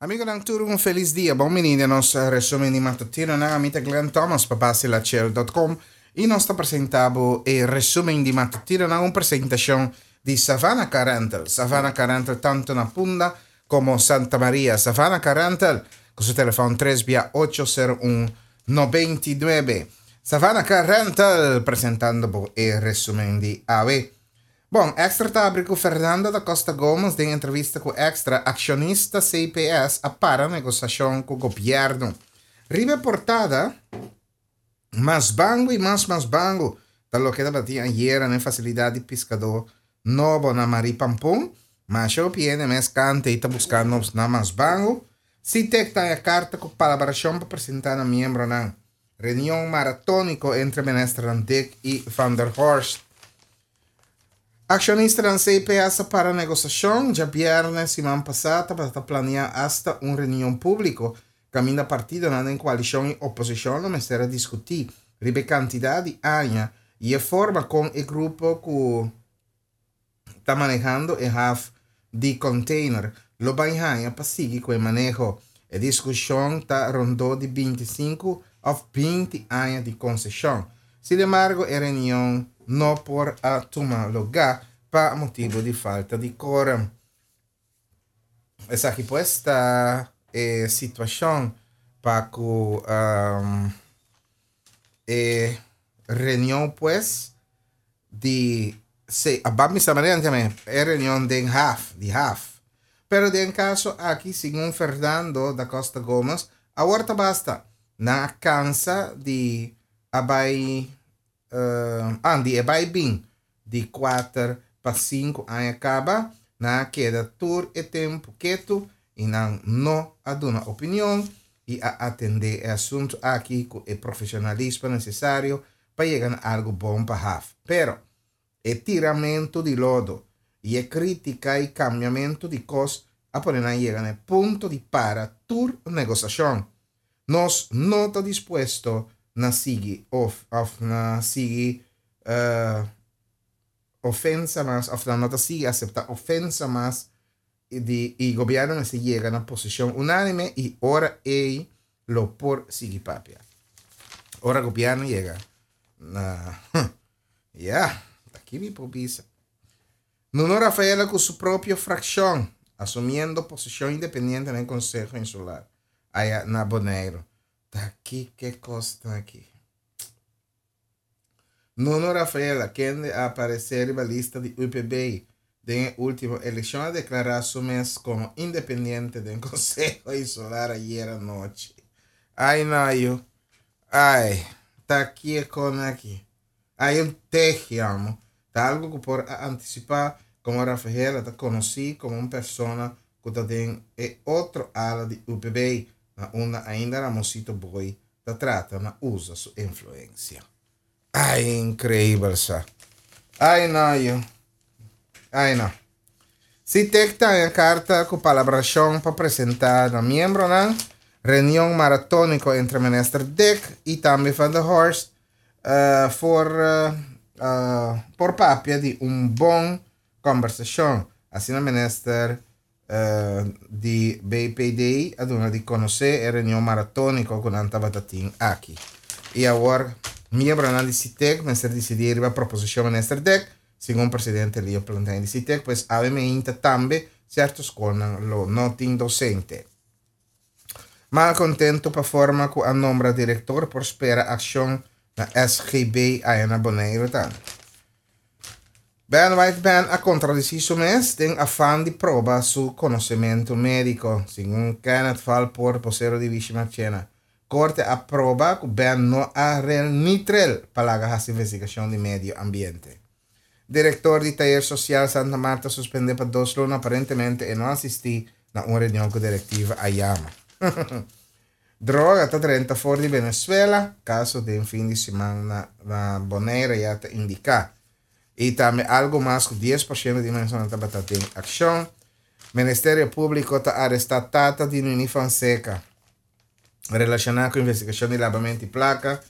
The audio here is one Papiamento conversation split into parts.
Amigonan tur un felis dia. Bon bini den nos resumen di matutinonan. Ami ta Glenn Thomas pa basilachel.com y nos ta presenta bo e resumen di matutinonan, un presentacion di Savannah Car Rental. Savannah Car Rental tanto na Punda como Santa Maria. Savannah Car Rental cu su telefon 3 bia 801 99. Savannah Car Rental presentando bo e resumen di awe. Bon, Extra ta abri ku Fernando da Costa Gomez den entrevista ku Extra, akshonista CPS a para negosashon ku gobièrnu. Riba e portada, Mas bangu i mas mas bangu ta loke tabatin ayera na e fasilidat di piskadó nobo na Marie Pampun. Masha hopi hende mes kanta i ta buska nos na mas bangu. Sitek ta haña karta ku palabrashon pa presentá na miembronan. Reunion maratóniko entre ministernan Dick i Van der Horst. Akshonistanan CPS a para negosashon. Djabièrnè siman pasá tabata ta planeá asta un reunion públiko kaminda partidonan den koalishon i oposishon lo mester a diskutí riba e kantidat di aña i e forma kon e grupo ku ta manehando e haf di container lo bai haña pa sigui ku e maneho. E diskushon ta rondó di 25 òf 20 aña di konseshon. Sinembargo e reunion no por a tuma lugá pa motibu di falta di kórum. Esaki pues ta e situashon pa ku e reunion pues di se a ban bisa manera antes e reunion den haf di haf. Pero den kaso aki segun Fernando da Costa Gomez awor ta basta. Nan a kansa di a bai uh, di e bai bin di kuater pa sinku aña kaba, nan a keda tur e tempu ketu i nan no a duna opinion i a atendé e asuntu aki ku e profeshonalismo nesesario pa yega na algu bon pa haf. Pero, e tiramentu di lodo i e krítika i kambiamentu di kos a pone nan yega na e punto di para tur negosashon. Nos no ta dispuesto na sigui of of na sigui uh, ofensa mas of nan no ta sigui aseptá ofensa mas di i gobièrnu mester yega na posishon unánime i ora ei lo por sigui papia. Ora gobièrnu yega na ya, aki mi por bisa. Nuno Rafaela ku su propio frakshon, asumiendo posishon independiente den Konseho Insular aya na Boneiru. Ta kiko kos ta aki? Nuno Rafaela, kende a aparesé riba lista di UPB den e último elekshon, a deklará su mes komo independiente den Konseho Insular ayera nochi. Ai no yu. Ai, ta kiko aki? Ai un te amo. Ta algu ku por a antisipá komo Rafaela ta konosí komo un persona ku ta den e otro ala di UPB, na unda ainda Ramonsito Booi ta trata na usa su influensia. Ai, inkreibel sa. Ai no yu. Ai no. Sitek ta haña karta ku palabrashon pa presentá na miembronan, reunion maratóniko entre minister Dick i tambe Van der Horst uh, for, uh, uh, por papia di un bon kòmbersashon. Asina minister di BPD a duna di konosé e reunion maratóniko ku nan tabata tin aki. I awor miembronan di Sitek mester disidí riba proposishon minister Dek, segun presidente Leo Plantijn di Sitek, pues awe meinta tambe sierto skolnan lo no tin dosente. Malkontentu pa forma ku a nombra direktor por spera akshon na SGB aya na Boneiru tambe. Ben Whiteman a kontradisí su mes den afan di proba su konosementu médiko, segun Kenneth Valpoort, bosero di Wishi Marchena. Korte a proba ku Ben no a rel ni trel pa laga hasi investigashon di medio ambiente. Direktor di Tayer Sosial Santa Marta suspendé pa dos luna, aparentemente e no asistí na un reunion ku direktiva a yama. Droga ta drenta for di Venezuela, kaso den fin di siman na na Bonaire ya ta indiká. I tambe algu mas ku 10% di mensonan tabata den akshon. Ministerio Públiko ta arestá tata di Nini Fonseca relashoná ku investigashon di labamento di plaka.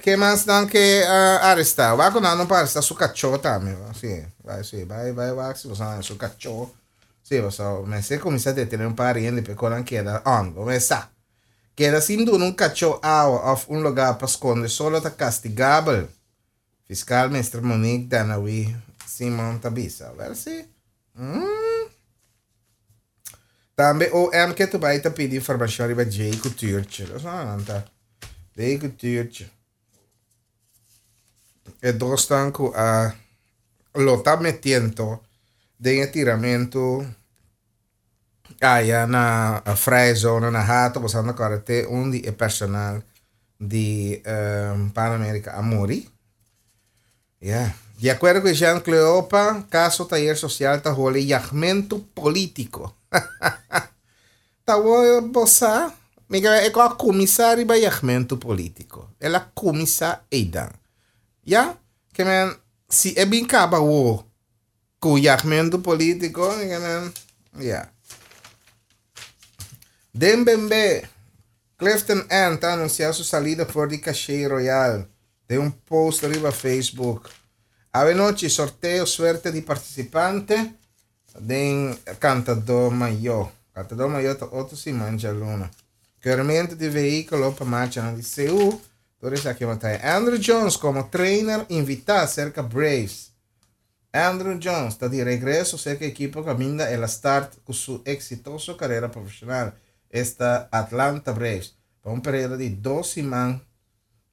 Ke mas nan ke arestá? Wak ku nan no por arestá su kachó tambe. Si, bai si, bai bai wak si boso haña su kachó. Sí, pasobra mester kuminsá detené un par di hende pa e konan keda on. Bo mes sa. Keda sin duna un kachó awa òf un lugá pa skonde solo ta kastigabel, fiskal Mister Monique Danawi Simon ta bisa. Wèl sí. Mm. Tambe OM ke tu bai ta pidi informashon riba Jay ku Tuurtje. Los nan ta. Jay ku Tuurtje. E dosnan ku a lo ta metiendo den e tiramentu aya na Vrije Zone na Hato, boso anda kòrda te un di e personal di Pan America a muri. Ya. Di akuerdo ku Jean Cleopa, kaso tayer sosial ta hole yagmentu polítiko. Ta wou bo sa, mi ke e ku a kuminsá riba yagmentu polítiko. El a kuminsá eidan. Ya, ke men si e bin kaba wou ku yagmentu polítiko, mi ke men, ya. Den Bembe, Clifton N. ta anunsiá su salida for di Caché Royal den un post riba Facebook. Awenochi sorteo suerte di partisipante den Kantadó Mayó. Kantadó Mayó ta otro siman djaluna. Keurmento di vehíkulo pa marchanan di CU. Tur esaki bo ta haña. Andruw Jones komo trainer invitá serka Braves. Andruw Jones ta di regreso serka ekipo kaminda el a start ku su eksitoso karera profeshonal, esta Atlanta Braves, pa un periodo di dos siman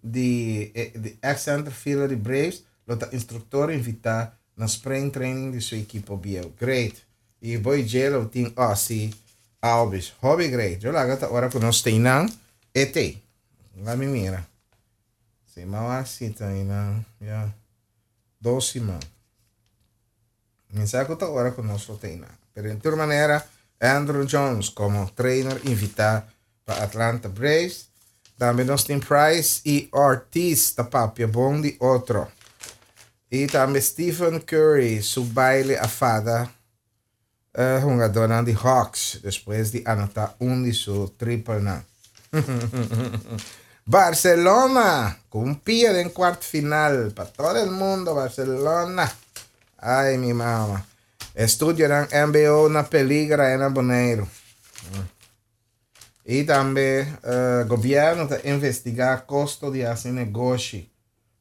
di di ex center fielder di Braves lo ta instruktor invitá na spring training di su ekipo bieu. Great! I boy dje lo tin Ozzie Albies. Hopi great! Yo laga ta ora ku nos teinan e tei. Laga mi mira. Si m'a wak si teinan ya. Dos siman. Mi sa ku ta ora ku nos lo teinan. Pero den tur manera Andruw Jones komo trainer invitá pa Atlanta Braves. Tambe nos tin Price i Ortiz ta papia bon di otro. I tambe Stephen Curry su baile a fada e hungadónan di Hawks despues di anotá un di su tripelnan. Barcelona ku un pia den kuart final pa todo el mundo Barcelona. Ay mi mama. Estudionan mbo na peliger aya na Boneiru. I tambe gobièrnu ta investigá kosto di hasi negoshi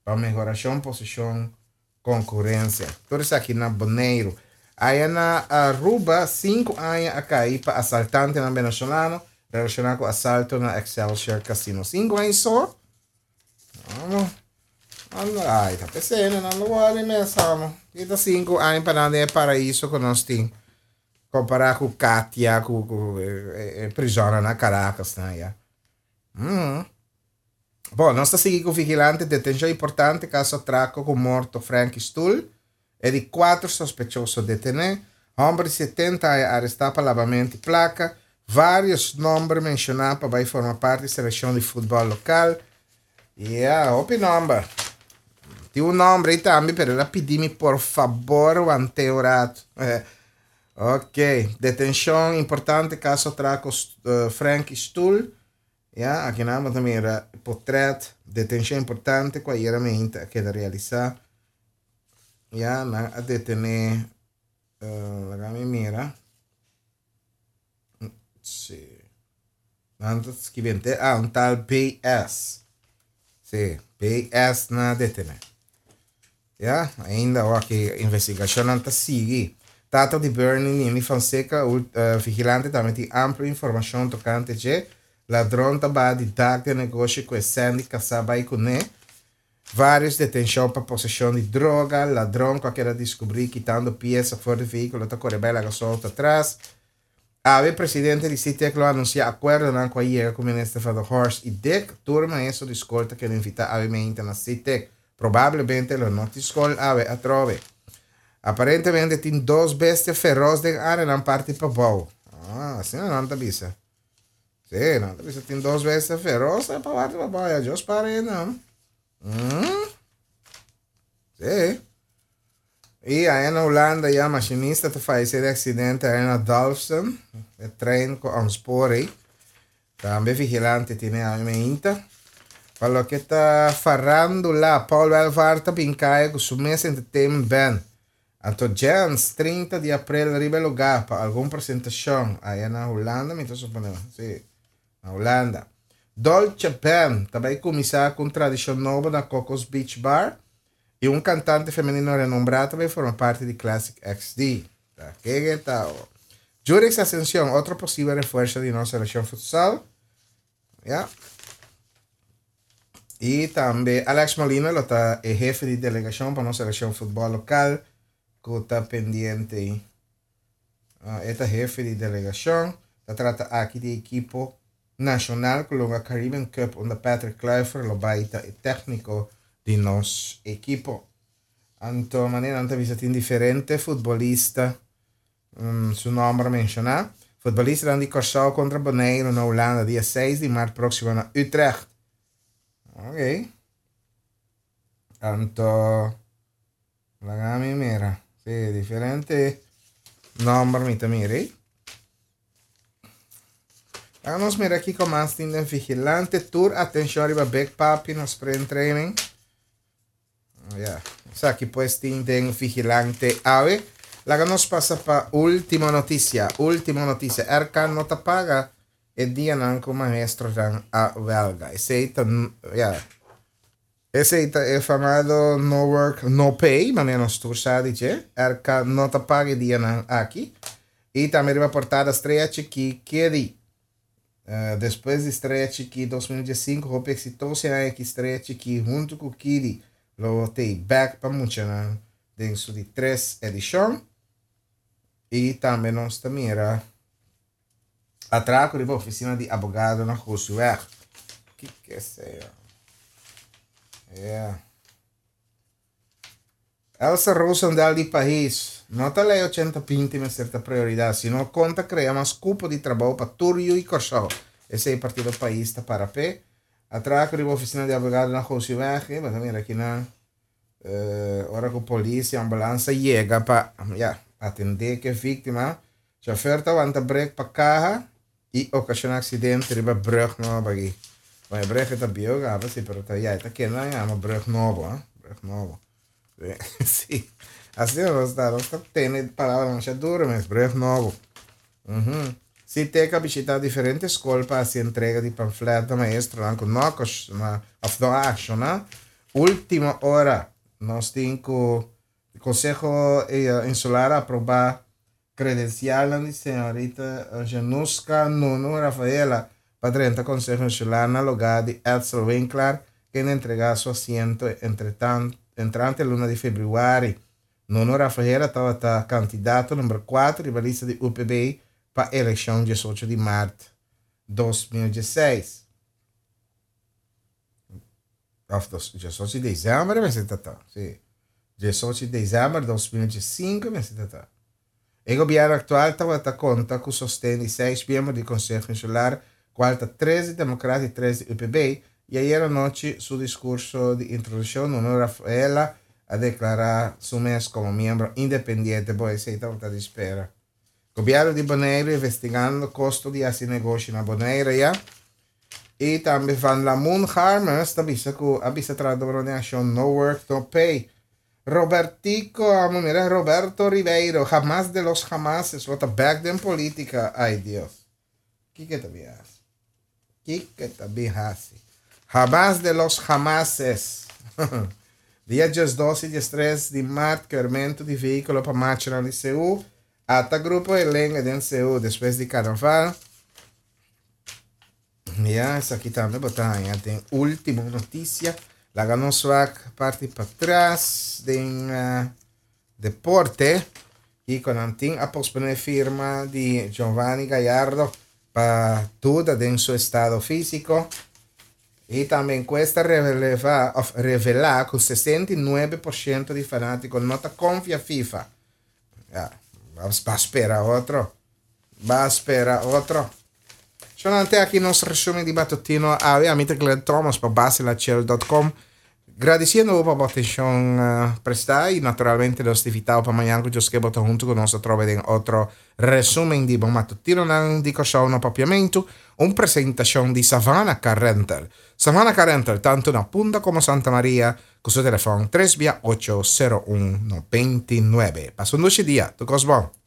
pa mehorashon posishon konkurensia. Tur esaki na Boneiru. Aya na Aruba sinku aña a kai pa asaltantenan venezolano relashoná ku asalto na Excelsior Casino. Sinku aña so? Amo. Ay, ta pesé, nan lo wòrdu mes, amo. Kita sinku aña pa nan den e paraiso ku nos tin. Kompará ku Katia, ku ku e prizònnan na Caracas nan ya. Mm. Bon, nos ta sigui ku vigilante detenshon importante kaso atrako ku morto Frankie Stoel. E di kuater sospechoso detené. Hòmber di 70 aña arestá pa labamento di plaka. Vários nòmber menshoná pa bai forma parti selekshon di futbòl lokal. Ya, hopi nòmber. Tin un nòmber ei tambe, pero el a pidi mi por fabor want'é un ratu. Ok, detenshon importante kaso atrako Frankie Stoel. Ya, akinan bo ta mira potrèt, detenshon importante ku ayera meinta a keda realisá. Ya, nan a detené, laga mi mira. Sí. Nan ta skibente, ah, un tal BS. Sí, BS nan a detené. Ya, ainda awor ki investigashonnan ta sigui. Tata di Bernie Nini Fonseca, vigilante tambe tin amplio informashon tokante dje. Ladron ta baha di dak den negoshi ku e Sandy kasá bai kuné. Vários detenshon pa poseshon di droga. Ladron ku a keda diskubrí kitando piesa for di vehíkulo ta kore bai laga su outo atras. Awe presidente di CITEC lo anuncia acuerdonan cu a yega cu minister Van der Horst y Dick. Tur maestro di scol ta keda invita awe meinta na CITEC. Probablemente lo no tin scol awe atrobe. Aparentemente tin dos bestia feroz den areanan parti pabou. Ah, asina nan ta bisa. Sí, nan ta bisa tin dos bestia feroz pa parti pabou. Ya Dios pare nan. Mm. Sí. I aya na Hulanda ya machinista ta fayesé den aksidente aya na Dalfsen, e trein ku ontspoor ei. Tambe vigilante tene awe meinta. Pa loke ta farándula, Paul Welvaart ta bin kaya ku su mes entertainment band. Anto Jens, 30 di april riba e lugá pa algun presentashon aya na Hulanda, mi ta suponé, si, na Hulanda. Dolce Band ta bai kuminsá ku un tradishon nobo na Coco's Beach Bar i un kantante femenino renombrá ta bai forma parti di Classic XD. Ta kege ta o. Jurix Ascension, otro posibel refuerso di nos selekshon futsal. Ya. I tambe Alex Molina lo ta e hefe di delegashon pa nos selekshon futbòl lokal ku ta pendiente. Ah, e ta hefe di delegashon. Ta trata aki di ekipo nashonal ku lo Caribbean Cup unda Patrick Kluivert lo bai ta e tékniko di nos ekipo. Anto manera nan ta bisa tin diferente futbolista Su nòmber menshoná. Futbolistanan di Kòrsou kontra Boneiru na Hulanda dia seis di mart próksimo na Utrecht. Ok. Anto, laga mi mira. Sí, diferente nòmber mi ta mira ei. Laga nos mira kiko mas tin den Vigilante. Tur atenshon riba Big Papi na sprint training. Ya, esaki pues tin den Vigilante awe. Laga nos pasa pa último noticia. Último noticia. RK no ta paga e dianan ku maestronan a welga. Esei ta, ya, esei ta e famado no work no pay, manera nos tur sa di dje. RK no ta paga e dianan aki. I tambe riba portada Strea Chikí Kedi. Despues di Strea Chikí 2015 hopi eksitoso e aña aki Strea Chikí huntu ku Kidi lo tei bèk pa muchanan den su di tres edishon. I tambe nos ta mira atrako riba ofisina di abogado na Gosuweg. Kiko esei? Yeah. Elsa Rosendal di Pais, No ta lei ochenta binti mester ta prioridat, sino kon ta krea mas kupo di trabou pa tur yu i Kòrsou. Esei partido Pais ta para p'e. Atrako riba ofisina di abogado na Gosiweg, bo ta mira kinan ora ku polis i ambulansa yega pa ya atendé ku e víktima. Chauffeur ta wanta brek pa kaha i okashoná aksidente riba brug nobo aki. Bon, e brug e ta bieu kaba si, pero ta ya e ta kende nan yama brug nobo, ha, brug nobo. Si, asina nos ta, nos ta tene palabranan masha duro mes, brug nobo. Uhum. Si Teka bishitá diferente skol pa hasi entrega di pamflet na maestronan ku no a òf no a akshoná. Último ora nos tin ku Konseho Insular a aprobá Credencialnan di señorita Januska Nunu Rafaela pa drenta Conseho Insular na lugar di Edsel Winklaar, kende entrega su asiento entrante luna di februari. Nunu Rafaela tabata candidato number cuatro riba lista di UPB pa eleccion diesocho di maart 2016. Of diesocho di december mester ta ta, si. Diesocho di december 2015 mester ta ta. E gobierno actual tabata conta cu sosten di seis miembro di Conseho Insular, cual ta tres di Democrat y tres di UPB, y ayer anochi su discurso di introduccion Nuno Rafaela a declara su mes como miembro independiente. Bo esey tabata di spera. Gobierno di Bonaire investigando costo di haci negoshi na Bonaire ya. Y tambe Van Lamoen Harmers ta bisa cu a bisa trahadornan den accion no work no pay. Robertico, amo mira Roberto Ribeiro, jamás de los jamases lo ta back den politica. Ay Dios. Kiko ta bin haci? Kiko ta bin haci? Jamás de los jamases. Dia 12 y 13 di maart keurmento di vehiculo pa marchanan di CU. Ata grupo Elenga den CU despues di carnaval. Ya, esaki tambe bo ta haña den último noticia. Laga nos wak parti patras den uh, deporte. Kiko nan tin a posponé firma di Giovanni Gallardo pa duda den su estado físico. Y tambe encuesta releva, of revela ku 69% di fanátiko no ta konfia FIFA. Ya, ba spera otro. Ba spera otro. Shonante aki nos resumen di matutino awe. Ami ta Glenn Thomas pa basilachel.com. Gradisiendo bo pa bo atenshon prestá i naturalmente nos ta invitá bo pa mañan ku Dios ke bo ta huntu ku nos atrobe den otro resumen di bo matutinonan di Kòrsou na Papiamentu, un presentashon di Savannah Car Rental. Savannah Car Rental tantu na Punda komo Santa Maria ku su telefòn tres bia ocho sero un 99. Pasa un dushi dia. Tur kos bon.